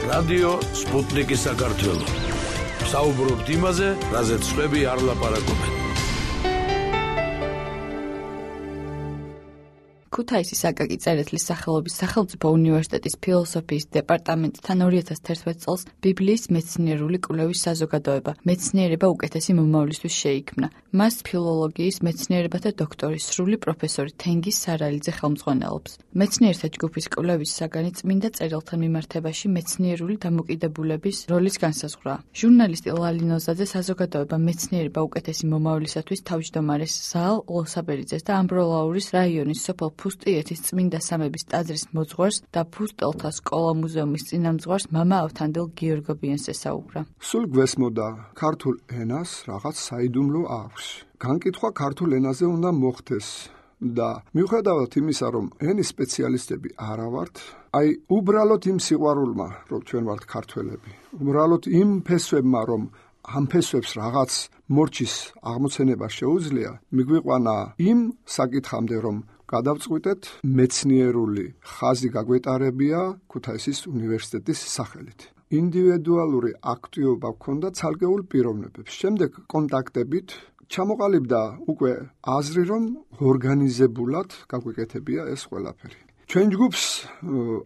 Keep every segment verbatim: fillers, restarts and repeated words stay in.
რადიო სპუტნიკი საქართველო. საუბრობთ იმაზე, რაზეც სხვები არ ლაპარაკობენ. ქუთაისის აკაკი წერეთლის სახელობის სახელმწიფო უნივერსიტეტის ფილოსოფიის დეპარტამენტთან ორი ათას თერთმეტ წელს ბიბლიის მეცნიერული კვლევის საზოგადოება მეცნიერება უკეთესი მომავლისთვის შეიქმნა. მას ფილოლოგიის მეცნიერებათა დოქტორის სრული პროფესორი თენგიზ სარალიძე ხელმძღვანელობს. მეცნიერთა ჯგუფის კვლევის საგანი წმინდა წერილთან მიმართებაში მეცნიერული დამოკიდებულების როლის განსაზღვრაა. ჟურნალისტი ლალი ნოზაძე საზოგადოება მეცნიერება უკეთესი მომავლისათვის თავმჯდომარეს ზაალ ლოსაბერიძეს და ამბროლაურის რაიონის სოფელ ფუსტიეთის წმინდა სამების ტაძრის მოძღვარს და ფუსტელთა სკოლა-მუზეუმის წინამძღვარს მამა ავთანდილ გიორგობიანს ესაუბრა. სულ გვესმოდა ქართულ ენას რაღაც საიდუმლო აქვს. განკითხვა ქართულ ენაზე უნდა მოხდეს და მიუხედავად იმისა, რომ ენის სპეციალისტები არა ვართ, აი უბრალოდ იმ სიყვარულმა, რომ ჩვენ ვართ ქართველები, უბრალოდ იმ ფესვებმა, რომ ამ ფესვებს რაღაც მორჩის აღმოცენება შეუძლია, მიგვიყვანა იმ საკითხამდე, რომ გადავწყვიტეთ მეცნიერული ხაზი გაგვეტარებია ქუთაისის უნივერსიტეტის სახელით. ინდივიდუალური აქტივობა ჰქონდა ცალკეულ პიროვნებებს. შემდეგ კონტაქტებით ჩამოყალიბდა უკვე აზრი, რომ ორგანიზებულად გაგვეკეთებია ეს ყველაფერი. ჩვენ ჯგუფს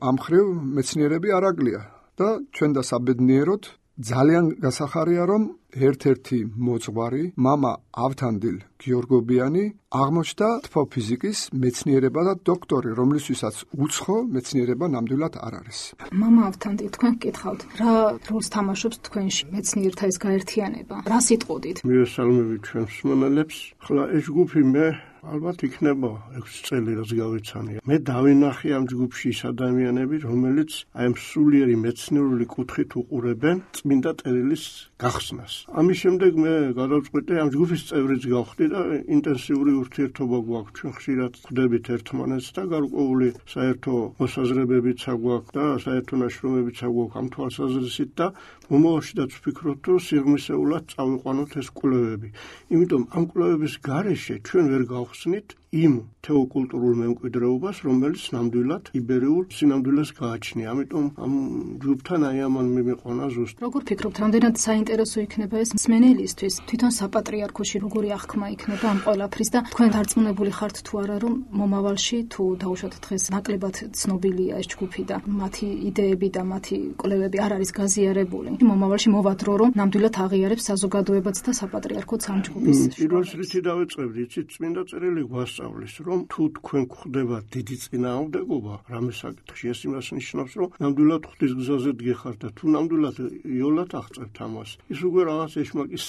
ამ მხრივ მეცნიერები არ აკლია და ჩვენ და საბედნიეროდ ძალიან გასახარია, რომ ერთ-ერთი მოძღვარი, მამა ავთანდილ გიორგობიანი, აღმოჩნდა თბოფიზიკის მეცნიერება და დოქტორი, რომლისთვისაც უცხო მეცნიერება ნამდვილად არ არის. მამა ავთანდილ, თქვენ გკითხავთ, რა როლს თამაშობს თქვენში მეცნიერთა ეს გაერთიანება? რა სიტყოდით? მივესალმებით ჩვენს მსმენელებს. ხლა ეს ჯგუფი მე ალბათ იქნება ექვსი წელი რაც გავიცანია. მე დავინახე ამ ჯგუფში ის ადამიანები, რომელიც აი ამ სულიერი მეცნიერული კუთხით უყურებენ წმინდა წერილის გახსნას. ამის შემდეგ მე გადავწყვიტე ამ ჯგუფის წევრიც გავხდი და ინტენსიური ურთიერთობა გვაქვს. ჩვენ ხშირად ხვდებით ერთმანეთს და გარკვეული საერთო მოსაზრებებიც აგვაქვს და საერთო ნაშრომებიც აგვაქვს ამ თვალსაზრისით და მომავალშიდაც ვფიქრობთ, რომ სიღრმისეულად წავიყვანოთ ეს კვლევები. იმიტომ ამ კვლევების გარეშე ჩვენ ვერ გავხსნით იმ თეოკულტურულ მემკვიდრეობას, რომელიც ნამდვილად იბერიულ სინამდვილეს გააჩნია. ამიტომ ამ ჯგუფთან აი ამან მიმიყვანა ზუსტ. როგორ ფიქრობთ, რამდენად საინტერესო იქნება ეს მსმენელისთვის? თვითონ საპატრიარქოში როგორი აღქმა იქნება ამ ყველაფრის და თქვენ დარწმუნებული ხართ თუ არა, რომ მომავალში თუ დაუშვათ დღეს ნაკლებად ცნობილია ეს ჯგუფი და მათი იდეები და მათი კვლევები არ არის გაზიარებული. მომავალში მოვადრო, რომ ნამდვილად აღიარებს საზოგადოებაც და საპატრიარქოც ამ ჯგუფის. პირველ რიცხვი დავეწყებდი, იცით, წმინდა წერილი გვასწავლის, რომ თუ თქვენ გვხდება დიდი წინააღმდეგობა რამე საკითხში, ეს იმას ნიშნავს, რომ ნამდვილად ღვთის გზაზე დგეხართ და თუ ნამდვილად იოლად აღწევთ ამას, ის უკვე რაღაც ეშმაკის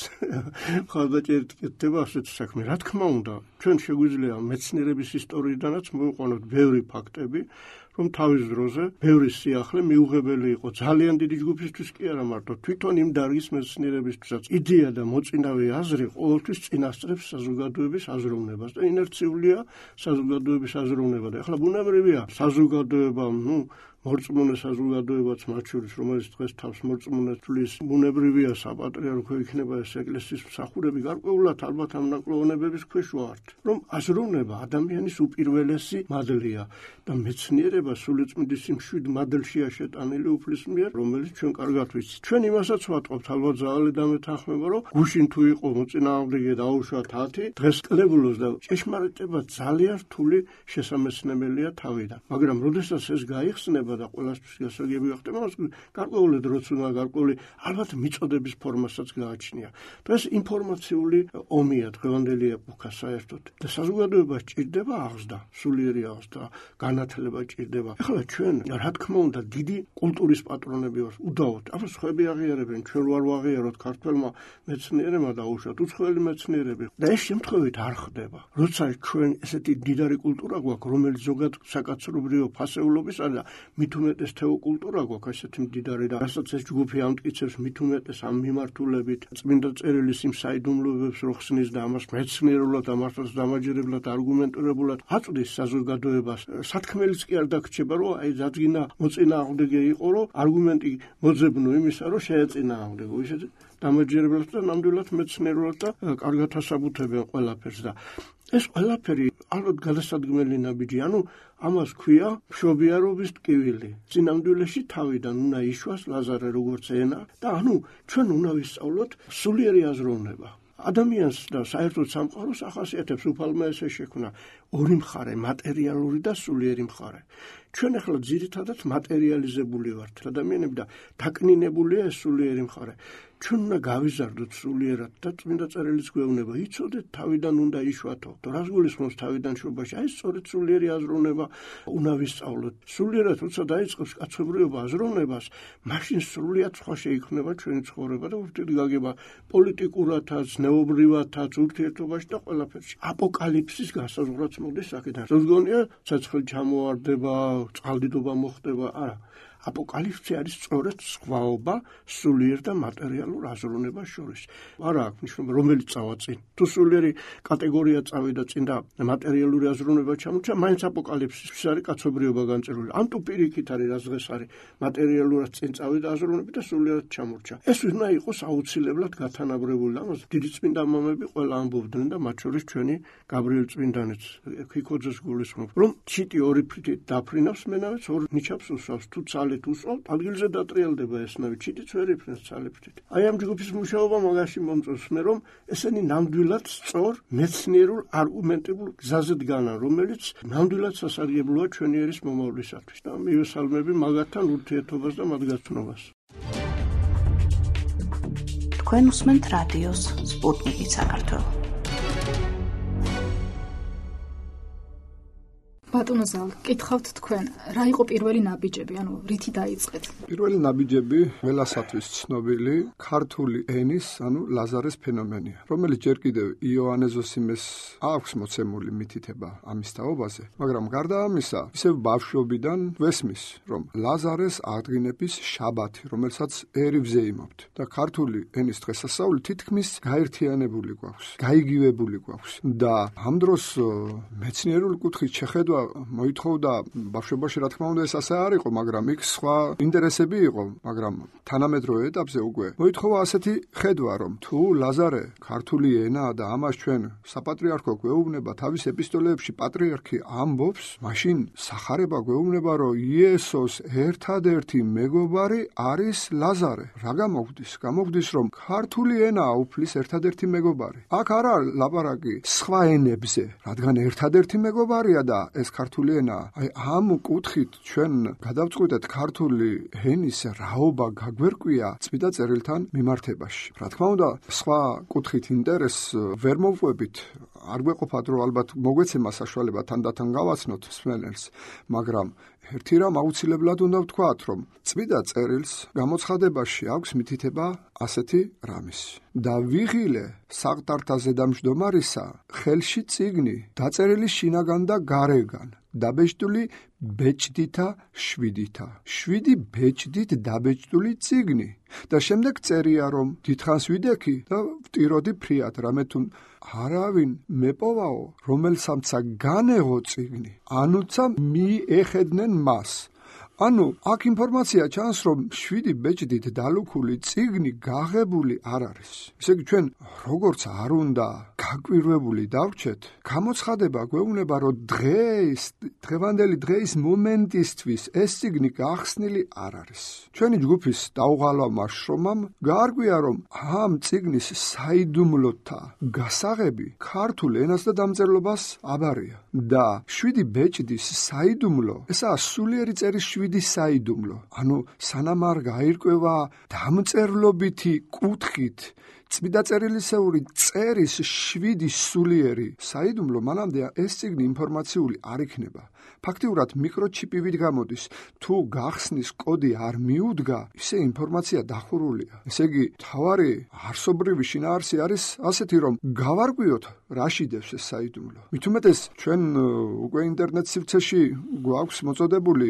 ხალხაჭერით კეთდება ასეთ საქმე. რა თქმა უნდა, ჩვენ შეგვიძლია მეცნიერების ისტორიიდანაც მოვიყვანოთ ბევრი ფაქტები, რომ თავის დროზე ბევრი სიახლე მიუღებელი იყო ძალიან დიდი ჯგუფისთვის კი არა მარტო თვითონ იმ დარგის მეცნიერებისთვისაც. იდეა და მოწინავე აზრი ყოველთვის წინასწრებს საზოგადოების აზროვნებას და ინერციულია საზოგადოების აზროვნება და ახლა ბუნებრივია საზოგადოება, ნუ მორწმუნე საზოგადოებაც მათ შორის, რომელიც დღეს თავს მორწმუნეს თვლის, ბუნებრივია საპატრიარქო იქნება ეს ეკლესიის მსახურები, გარკვეულად ალბათ ამ ნაკლოვნებების ქვეშ ვართ, რომ აზროვნება ადამიანის უპირველესი მადლია და მეცნიერება სულიწმიდის იმ შვიდ მადლშია შეტანილი უფლის მიერ, რომელიც ჩვენ კარგად ვიცით. ჩვენ იმასაც ვატყობთ, ალბათ ზაღალი დამეთანხმება, რომ გუშინ თუ იყო მოწინააღმდეგე დაუშვათ ათი, დღეს კლებულოს და ჭეშმარიტება ძალიან რთული შესამეცნებელია თავიდან. მაგრამ როდესაც ეს გაიხსნება და ყველასთვის გასაგები გახდება, მას გარკვეული დროც უნდა გარკვეული ალბათ მიწოდების ფორმასაც გააჩნია. დღეს ინფორმაციული ომია დღევანდელი ეპოქა საერთოდ და საზოგადოებას ჭირდება აღზრდა, სულიერი აღზრდა, განათლება ჭირდება. ეხლა ჩვენ რა თქმა უნდა დიდი კულტურის პატრონები ვართ, უდავოდ. აბა სხვები აღიარებენ, ჩვენ ვარ ვაღიაროთ ქართველმა მეცნიერებმა დაუშვათ, უცხოელი მეცნიერები და ეს შემთხვევით არ ხდება. როცა ჩვენ ესეთი დიდარი კულტურა გვაქვს, რომელიც ზოგად საკაცობრიო ფასეულობისა და მით უმეტეს თეოკულტურა გვაქვს ესეთი მდიდარი და რასაც ეს ჯგუფი ამტკიცებს მით უმეტეს ამ მიმართულებით წმინდა წერილის იმ საიდუმლოებებს რო ხსნის და ამას მეცნიერულად ამასაც დამაჯერებლად არგუმენტირებულად აწვდის საზოგადოებას. სათქმელიც კი არ დაგრჩება, რომ აი ძადგინა მოწინააღმდეგე იყო, რომ არგუმენტი მოძებნო იმისა, რომ შეეწინააღმდეგო. ისე დამაჯერებლად და ნამდვილად მეცნიერულად და კარგად ასაბუთებენ ყველაფერს და ეს ყველაფერი ალბათ გადასადგმელი ნაბიჯი, ანუ ამას ქვია მშობიარობის ტკივილი. წინამდვილეში თავიდან უნდა იშვას ლაზარე როგორც ენა და ანუ ჩვენ უნდა ვისწავლოთ სულიერი აზროვნება. ადამიანს და საერთოდ სამყაროს ახასიათებს უფალმა ესე შექმნა ორი მხარე, მატერიალური და სულიერი მხარე. ჩვენ ახლა ძირითადად მატერიალიზებული ვართ ადამიანები და დაკნინებულია ეს სულიერი მხარე. ჩვენ უნდა გავიზარდოთ სულიერად და წმინდა წერილიც გვეუბნება, იცოდეთ თავიდან უნდა იშვათო. და რას გულისხმობს თავიდან შობაში? აი სწორედ სულიერი აზროვნება უნდა ვისწავლოთ. სულიერად როცა დაიწყებს კაცობრიობა აზროვნებას, მაშინ სრულიად სხვა შეიქმნება ჩვენი ცხოვრება და ურთიერთგაგება პოლიტიკურათაც, ნეობრივათაც, ურთიერთობაში და ყველაფერში. აპოკალიფსის განსაზღვრაც მოდის აქედან. ზოგონია ცეცხლი ჩამოვარდება, წყალდიდობა მოხდება, არა. აპოკალიფსი არის სწორედ სხვაობა სულიერ და მატერიალურ აზროვნებას შორის. არა აქვს მნიშვნელობა რომელიც წავა წინ. თუ სულიერი კატეგორია წავიდა წინ და მატერიალური აზროვნება ჩამორჩა, მაინც აპოკალიფსის არის კაცობრიობა განწერილი. ან თუ პირიქით არის რაც დღეს არის მატერიალურად წინ წავიდა აზროვნები და სულიერად ჩამორჩა. ეს უნდა იყოს აუცილებლად გათანაბრებული. ამას დიდი წმინდა მამები ყველა ამბობდნენ და მათ შორის ჩვენი გაბრიელ წმინდანიც ქიქოძეს გულისხმობ, რომ ჩიტი ორი ფრთით დაფრინავს მენავეც ორ ნიჩაბს უსვავს. თუ ცალ უსვავთ, ადგილზე დატრიალდება ესნავი, ჩიტიც ვერ იფრინს ცალიფრით. აი ამ ჯგუფის მუშაობა მაგაში მომწონს მე, რომ ესენი ნამდვილად სწორ მეცნიერულ არგუმენტებულ გზაზე დგანან, რომელიც ნამდვილად სასარგებლოა ჩვენი ერის მომავლისათვის და მივესალმები მაგათთან ურთიერთობას და მათ გაცნობას. თქვენ უსმენთ რადიოს სპუტნიკი საქართველო. ბატონო ზალ, კითხავთ თქვენ, რა იყო პირველი ნაბიჯები, ანუ რითი დაიწყეთ? პირველი ნაბიჯები ველასათვის ცნობილი ქართული ენის, ანუ ლაზარეს ფენომენია, რომელიც ჯერ კიდევ იოანე ზოსიმეს აქვს მოცემული მითითება ამის თაობაზე, მაგრამ გარდა ამისა, ისევ ბავშვობიდან ვესმის, რომ ლაზარეს აღდგინების შაბათი, რომელსაც ერივზე იმობთ და ქართული ენის დღესასწაული თითქმის გაერთიანებული გვაქვს, გაიგივებული გვაქვს და ამ დროს მეცნიერული კუთხით შეხედვა მოითხოვდა ბავშვობაში, რა თქმა უნდა, ეს ასე არ იყო, მაგრამ იქ სხვა ინტერესები იყო, მაგრამ თანამედროვე ეტაპზე უკვე მოითხოვა ასეთი ხედვა, რომ თუ ლაზარე ქართული ენაა და ამას ჩვენ საპატრიარქო გვეუბნება თავის ეპისტოლეებში პატრიარქი ამბობს, მაშინ სახარება გვეუბნება, რომ იესოს ერთადერთი მეგობარი არის ლაზარე. რა გამოგვდის? გამოგვდის, რომ ქართული ენაა უფლის ერთადერთი მეგობარი. აქ არ არის ლაპარაკი სხვა ენებზე, რადგან ერთადერთი მეგობარია და ეს ქართული ენა. აი ამ კუთხით ჩვენ გადავწყვიტეთ ქართული ენის რაობა გაგვერკვია წმინდა წერილთან მიმართებაში. რა თქმა უნდა, სხვა კუთხით ინტერესს ვერ მოვყვებით, არ გვეყოფათ, რომ ალბათ მოგვეცემა საშუალება თანდათან გავაცნოთ მსმენელს, მაგრამ ერთი რამ აუცილებლად უნდა ვთქვათ, რომ წმინდა წერილს გამოცხადებაში აქვს მითითება ასეთი რამის. და ვიღილე საყდართა ზედამჯდომარისა ხელში წიგნი დაწერილი შინაგან და გარეგან, დაბეჭდული ბეჭდითა შვიდითა. შვიდი ბეჭდით დაბეჭდული წიგნი. და შემდეგ წერია, რომ დიდხანს ვიდექი და ვტიროდი ფრიად, რამე თუ არავინ მეპოვაო, რომელსამცა განეღო წიგნი, ანუცა მიეხედნენ მას. ანუ აქ ინფორმაცია ჩანს, რომ შვიდი ბეჭდით დალუქული წიგნი გაღებული არ არის. ისე იგი ჩვენ როგორც არ უნდა გაკვირვებული დავრჩეთ, გამოცხადება გვეუბნება, რომ დღეს, დღევანდელი დღეის მომენტისთვის ეს წიგნი გახსნილი არ არის. ჩვენი ჯგუფის დაუღალავმა შრომამ გაარკვია, რომ ამ წიგნის საიდუმლოთა გასაღები ქართულ ენას და დამწერლობას აბარია და შვიდი ბეჭდის საიდუმლო, ესაა სულიერი წერის შვიდი საიდუმლო. ანუ სანამ არ გაირკვევა დამწერლობითი კუთხით წმინდა წერილისეული წერის შვიდი სულიერი საიდუმლო, მანამდე ეს წიგნი ინფორმაციული არ იქნება. ფაქტიურად მიკროჩიპივით გამოდის. თუ გახსნის კოდი არ მიუდგა, ისე ინფორმაცია დახურულია. ესე იგი, თავარი არსობრივი შინაარსი არის ასეთი, რომ გავარკვიოთ, რა შიდევს ეს საიდუმლო. მით უმეტეს ჩვენ უკვე ინტერნეტ სივრცეში გვაქვს მოწოდებული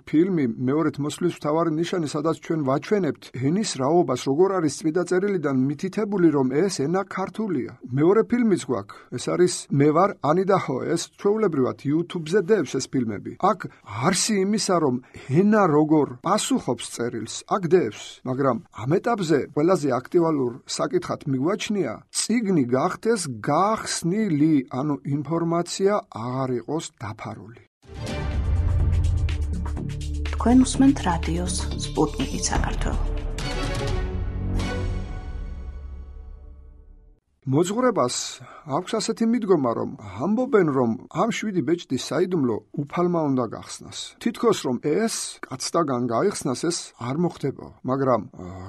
ფილმი მეორედ მოსვლის მთავარი ნიშანი, სადაც ჩვენ ვაჩვენებთ ენის რაობას, როგორ არის წმინდა წერილიდან მითითებული, რომ ეს ენა ქართულია. მეორე ფილმიც გვაქვს, ეს არის მე ვარ ანი და ჰო, ეს ჩვეულებრივად YouTube-ზე დევს ეს ფილმები. აქ არსი იმისა, რომ ენა როგორ პასუხობს წერილს, აქ დევს, მაგრამ ამ ეტაპზე ყველაზე აქტუალურ საკითხად მიგვაჩნია, წიგნი გახდეს გახსნილი, ანუ ინფორმაცია აღარ იყოს დაფარული. თქვენ უსმენთ რადიოს სპუტნიკი საქართველო. მოძღვრებას აქვს ასეთი მიდგომა, რომ ამბობენ, რომ ამ შვიდი ბეჭდის საიდუმლო უფალმა უნდა გახსნას. თითქოს რომ ეს კაცთაგან გაიხსნას, ეს არ მოხდება, მაგრამ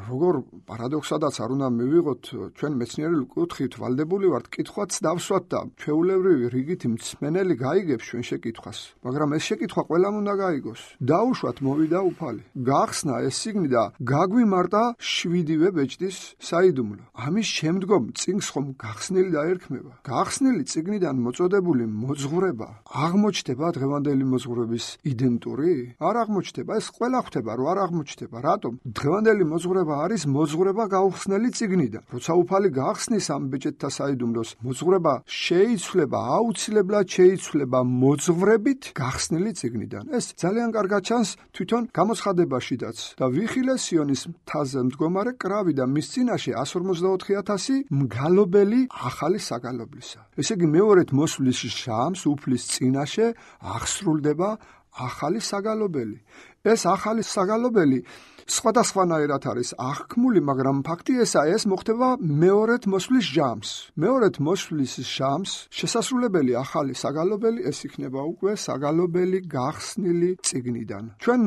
როგორ პარადოქსადაც არ უნდა მივიღოთ, ჩვენ მეცნიერული კუთხით ვალდებული ვართ კითხვაც დავსვათ და ჩვეულებრივი რიგითი მსმენელი გაიგებს ჩვენ შეკითხვას, მაგრამ ეს შეკითხვა ყველამ უნდა გაიგოს. დაუშვათ მოვიდა უფალი, გახსნა ეს წიგნი და გაგვიმარტა შვიდივე ბეჭდის საიდუმლო. ამის შემდგომ წიგნს გახსნილი დაერქმება. გახსნილი წიგნიდან მოწოდებული მოძღვრება აღმოჩნდება დღევანდელი მოძღვრების იდენტური? არ აღმოჩნდება. ეს ყველა ხვდება, რომ არ აღმოჩნდება. რატომ? დღევანდელი მოძღვრება არის მოძღვრება გაუხსნელი წიგნიდან. როცა უფალი გახსნის ამ ბეჭედთა საიდუმლოს, მოძღვრება შეიცვლება, აუცილებლად შეიცვლება მოძღვრებით გახსნილი წიგნიდან. ეს ძალიან კარგად ჩანს თვითონ გამოცხადებაშიდაც. და ვიხილე სიონის მთაზე მდგომარე კრავი და მის წინაშე εκατს ორმოცდაოთხი ათასი მგალობ ახალი საგალობლისა. ესე იგი მეორედ მოსვლის ჟამს უფლის წინაშე აღსრულდება ახალი საგალობელი. ეს ახალი საგალობელი სხვადასხვანაირად არის აღქმული, მაგრამ ფაქტი ესაა, ეს მოხდება მეორედ მოსვლის ჟამს. მეორედ მოსვლის ჟამს შესასრულებელი ახალი საგალობელი, ეს იქნება უკვე საგალობელი გახსნილი წიგნიდან. ჩვენ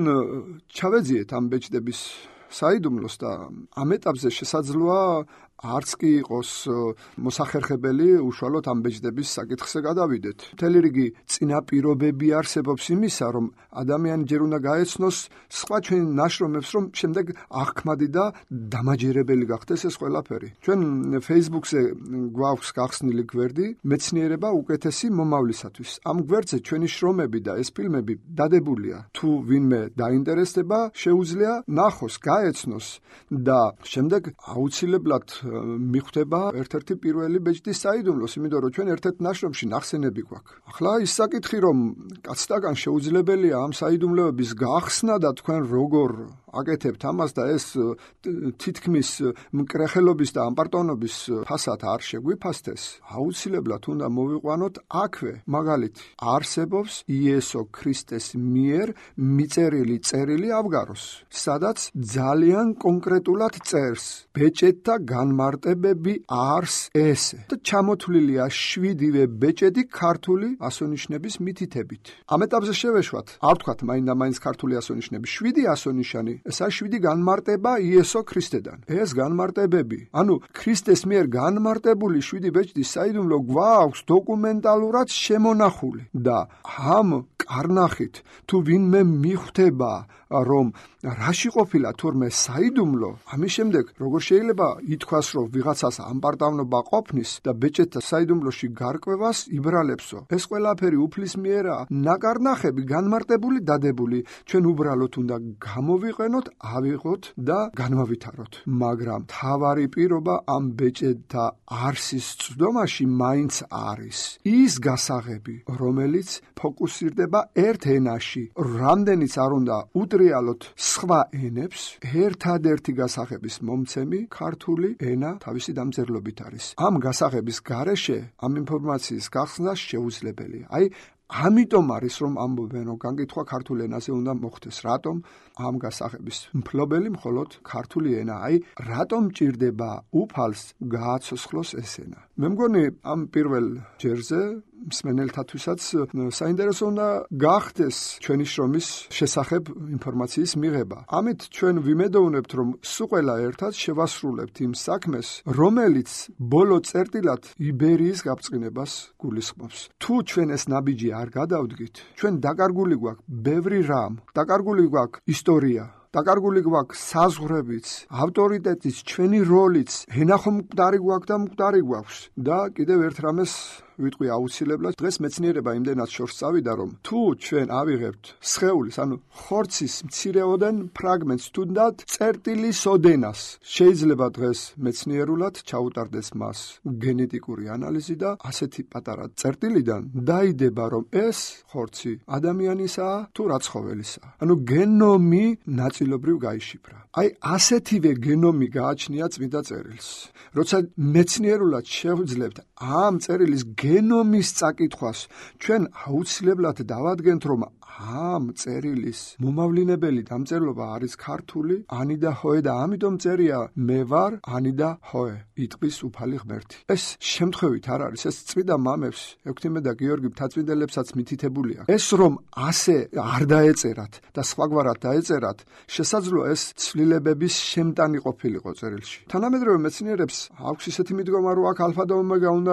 ჩავეძიეთ ამ ბეჭდების საიდუმლოს და ამ ეტაპზე შესაძლოა არც კი იყოს მოსახერხებელი უშუალოდ ამ ბეჭდების საკითხზე გადავიდეთ. მთელი რიგი წინაპირობები არსებობს იმისა, რომ ადამიანი ჯერ უნდა გაეცნოს სხვა ჩვენ ნაშრომებს, რომ შემდეგ აღქმადი და დამაჯერებელი გახდეს ეს ყველაფერი. ჩვენ Facebook-ზე გვაქვს გახსნილი გვერდი მეცნიერება უკეთესი მომავლისათვის. ამ გვერდზე ჩვენი შრომები და ეს ფილმები დადებულია. თუ ვინმე დაინტერესდება, შეუძლია ნახოს, გაეცნოს და შემდეგ აუცილებლად მიხვდება ერთ-ერთი პირველი ბეჭდის საიდუმლოს, იმიტომ რომ ჩვენ ერთ-ერთ ნაშრომში ნახსენები გვაქვს. ახლა ის საკითხი, რომ კაცთაგან შეუძლებელია ამ საიდუმლოების გახსნა და თქვენ როგორ აკეთებთ ამას და ეს თითქმის მკრეხელობის და ამპარტონობის ფასად არ შეგვიფასდეს, აუცილებლად უნდა მოვიყვანოთ აქვე. მაგალითი, არსებობს იესო ქრისტეს მიერ მიწერილი წერილი ავგაროს, სადაც ძალიან კონკრეტულად წერს ბეჭედთა განმარტებები არს ესე და ჩამოთვლილია შვიდივე ბეჭედი ქართული ასონიშნების მითითებით. ამ ეტაპზე შევეშვათ, არ ვთქვათ მაინდა-მაინც ქართული ასონიშნები, შვიდი ასონიშანი, ესაა შვიდი განმარტება იესო ქრისტედან. ეს განმარტებები, ანუ ქრისტეს მიერ განმარტებული შვიდი ბეჭდის საიდუმლო გვაქვს დოკუმენტალურად შემონახული და ამ კარნახით თუ ვინმე მიხვდება, რომ რაში ყოფილა თურმე საიდუმლო, ამის შემდეგ როგორ შეიძლება ითქვას, რომ ვიღაცას ამპარტავნობა ყოფნის და ბეჭედთა საიდუმლოში გარკვევას იბრალებსო. ეს ყველაფერი უფლის მიერაა, ნაკარნახები განმარტებული, დადებული. ჩვენ უბრალოდ უნდა გამოვიყენოთ, ავიღოთ და განვავითაროთ. მაგრამ თავარი პირობა ამ ბეჭედთა არსის წვდომაში მაინც არის ის გასაღები, რომელიც ფოკუსირდება ერთ ენაში. რამდენიც არ უნდა უტრიალოთ სხვა ენებს, ერთადერთი გასაღების მომცემი ქართული ენა თავისი დამწერლობით არის. ამ გასაღების გარეშე ამ ინფორმაციის გახსნა შეუძლებელია. აი ამიტომ არის რომ ამბობენ, რომ გაკითხვა ქართულ ენაზე უნდა მოხდეს. რატომ? ამ გასაღების მფლობელი მხოლოდ ქართული ენა. აი რატომ ჭირდება უფალს გააცოცხლოს ეს ენა? მე მგონი ამ პირველ ჯერზე მსმენელთათვისაც საინტერესო უნდა გახდეს ჩვენი შრომის შესახებ ინფორმაციის მიღება. ამით ჩვენ ვიმედოვნებთ, რომ სულ ყველა ერთად შევასრულებთ იმ საქმეს, რომელიც ბოლო წერტილად იბერიის გაბწყინებას გულისხმობს. თუ ჩვენ ეს ნაბიჯი არ გადავდგით, ჩვენ დაკარგული გვაქვს ბევრი რამ, დაკარგული გვაქვს ისტორია, დაკარგული გვაქვს საზღვრებიც, ავტორიტეტიც, ჩვენი როლიც, ენა ხომ მკვდარი გვაქვს და მკვდარი გვაქვს და კიდევ ერთ რამეს ვიტყვი აუცილებლად. დღეს მეცნიერება იმდენად შორს წავიდა, რომ თუ ჩვენ ავიღებთ სხეულის, ანუ ხორცის მცირეოდენ ფრაგმენტს, თუნდაც წერტილის ოდენას, შეიძლება დღეს მეცნიერულად ჩაუტარდეს მას გენეტიკური ანალიზი და ასეთი პატარა წერტილიდან დაიდება, რომ ეს ხორცი ადამიანისაა თუ რა ცხოველისაა. ანუ გენომი ნაწილობრივ გაიშიფრა. აი ასეთივე გენომი გააჩნია წმინდა წერილს. როცა მეცნიერულად შევძლებთ ამ წერილის გენომის წაკითხვას, ჩვენ აუცილებლად დავადგენთ, რომ ამ წერილის მომავლინებელი დამწერლობა არის ქართული, ანი და ჰოე და ამიტომ წერია მე ვარ ანი და ჰოე, იტყვის უფალი ღმერთი. ეს შემთხვევით არ არის, ეს წმინდა მამებს, ექვთიმე და გიორგი მთაწმინდებლებსაც მითითებული აქვს. ეს რომ ასე არ დაეწერათ და სხვაგვარად დაეწერათ, შესაძლოა ეს ცვლილებების შემტანი ყოფილიყო წერილში. თანამედროვე მეცნიერებს აქვს ისეთი მიდგომა, რომ აქ ალფა და ომეგა უნდა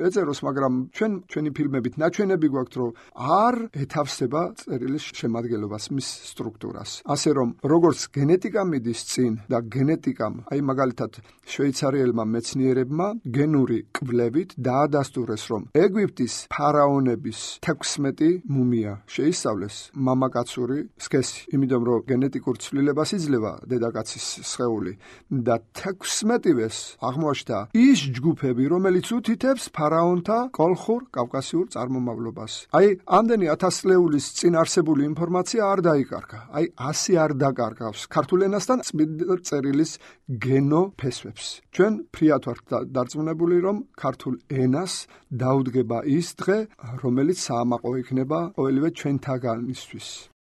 ეწეროს, მაგრამ ჩვენ ჩვენი ფილმებით ნაჩვენები გვაქვს, რომ არ ეთავსება წერილის შემადგენლობას, მის სტრუქტურას. ასე რომ, როგორც გენეტიკა მიდის წინ და გენეტიკამ, აი მაგალითად შვეიცარიელმა მეცნიერებმა გენური კვლევით დაადასტურეს, რომ ეგვიპტის ფარაონების თექვსმეტი მუმია შეისწავლეს მამაკაცური სქესი, იმიტომ რომ გენეტიკურ ცვლილებას იძლევა დედაკაცის სხეული და თექვსმეტივეს აღმოაჩნდა ის ჯგუფები, რომელიც უთითებს ფარაონთა კოლხურ კავკასიურ წარმომავლობას. აი ამდენი ათასწლეულის წინ არსებული ინფორმაცია არ დაიკარგა. აი ასე არ დაკარგავს ქართულ ენასთან წმინდა წერილის გენოფესვებს. ჩვენ ფრიად ვართ დარწმუნებული, რომ ქართულ ენას დაუდგება ის დღე, რომელიც საამაყო იქნება ყოველივე ჩვენთაგანისთვის.